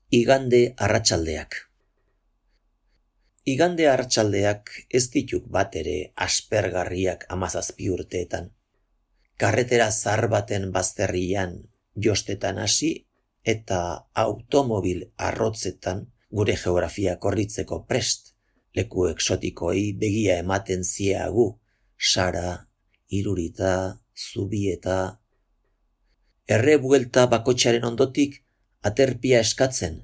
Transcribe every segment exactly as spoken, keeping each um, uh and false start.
Igande arratsaldeak. Igande arratsaldeak ez dituk bat ere aspergarriak hamazazpi urteetan. Karretera zahar baten bazterrian jostetan hasi eta automobil arrotzetan gure geografia korritzeko prest, leku exotikoei begia ematen ziagu, Sara, Irurita, Zubieta. Erre buelta bakotxaren ondotik aterpia eskatzen.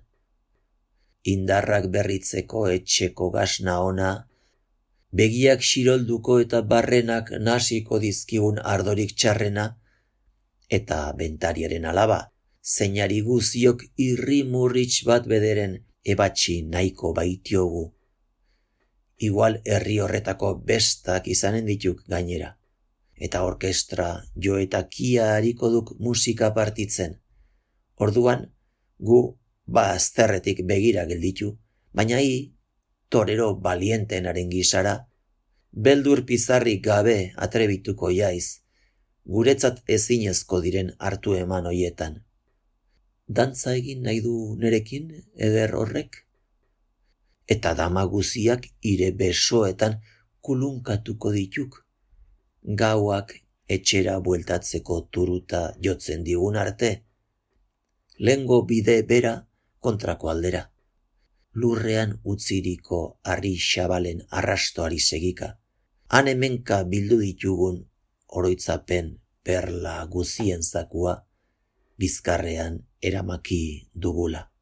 Indarrak berritzeko etxeko gasna ona, begiak xirolduko eta barrenak nasiko dizkigun ardorik txarrena, eta bentariaren alaba, zeinari guziok irri-murritx bat bederen ebatxi nahiko baitiogu. Igual herri horretako bestak izanen dituk gainera, eta orkestra jo eta kia hariko duk musika partitzen. Orduan, gu bazterretik begira gelditu, baina hi, torero balientenaren gisara, beldur pizarrik gabe atrebituko jaiz, guretzat ezinezko diren hartu eman hoietan. Dantza egin nahi du nerekin eder horrek? Eta dama guziak ire besoetan kulunkatuko dituk, gauak etxera bueltatzeko turuta jotzen digun arte, lengo bide bera kontrako aldera, lurrean utziriko harri xabalen arrastoari segika, han hemenka bildu ditugun oroitzapen perla guzien zakua bizkarrean eramaki dugula.